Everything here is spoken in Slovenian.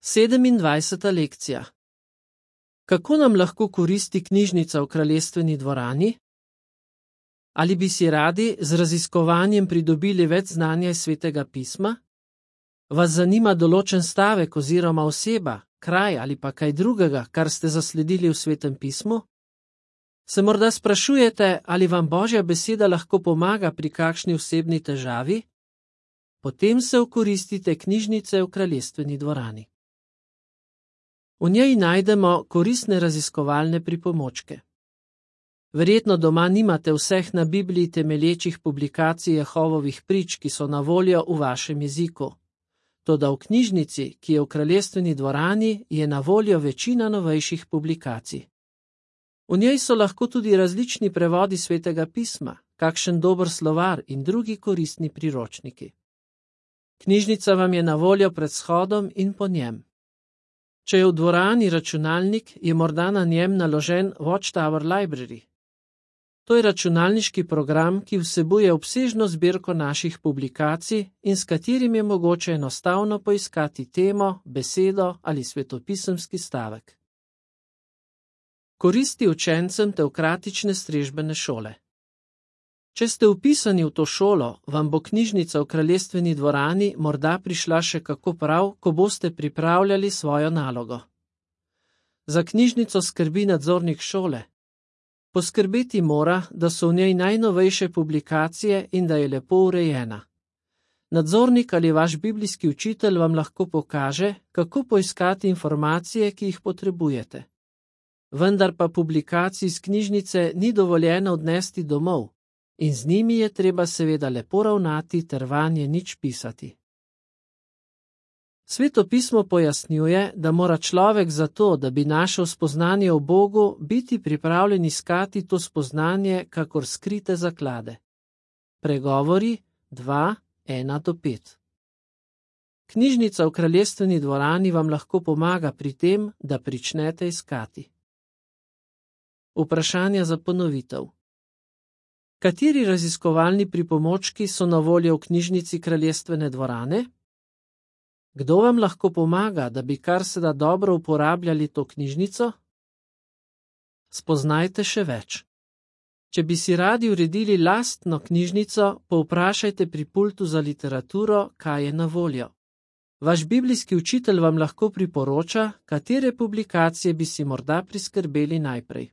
27. lekcija. Kako nam lahko koristi knjižnica v Kraljestveni dvorani? Ali bi si radi z raziskovanjem pridobili več znanja iz Svetega pisma? Vas zanima določen stavek oziroma oseba, kraj ali pa kaj drugega, kar ste zasledili v Svetem pismu? Se morda sprašujete, ali vam Božja beseda lahko pomaga pri kakšni osebni težavi? Potem se okoristite knjižnice v Kraljestveni dvorani. V njej najdemo koristne raziskovalne pripomočke. Verjetno doma nimate vseh na Bibliji temelječih publikacij Jehovovih prič, ki so na voljo v vašem jeziku. Toda v knjižnici, ki je v Kraljestveni dvorani, je na voljo večina novejših publikacij. V njej so lahko tudi različni prevodi Svetega pisma, kakšen dober slovar in drugi koristni priročniki. Knjižnica vam je na voljo pred shodom in po njem. Če je v dvorani računalnik, je morda na njem naložen Watchtower Library. To je računalniški program, ki vsebuje obsežno zbirko naših publikacij in s katerim je mogoče enostavno poiskati temo, besedo ali svetopisemski stavek. Koristi učencem teokratične strežbene šole. Če ste vpisani v to šolo, vam bo knjižnica v Kraljestveni dvorani morda prišla še kako prav, ko boste pripravljali svojo nalogo. Za knjižnico skrbi nadzornik šole. Poskrbeti mora, da so v njej najnovejše publikacije in da je lepo urejena. Nadzornik ali vaš biblijski učitelj vam lahko pokaže, kako poiskati informacije, ki jih potrebujete. Vendar pa publikacij iz knjižnice ni dovoljeno odnesti domov. In z njimi je treba seveda lepo ravnati ter vanje nič pisati. Sveto pismo pojasnjuje, da mora človek za to, da bi našel spoznanje o Bogu, biti pripravljen iskati to spoznanje kakor skrite zaklade. Pregovori 2:1-5. Knjižnica v Kraljestveni dvorani vam lahko pomaga pri tem, da pričnete iskati. Vprašanja za ponovitev. Kateri raziskovalni pripomočki so na voljo v knjižnici Kraljestvene dvorane? Kdo vam lahko pomaga, da bi kar se da dobro uporabljali to knjižnico? Spoznajte še več. Če bi si radi uredili lastno knjižnico, povprašajte pri pultu za literaturo, kaj je na voljo. Vaš biblijski učitelj vam lahko priporoča, katere publikacije bi si morda priskrbeli najprej.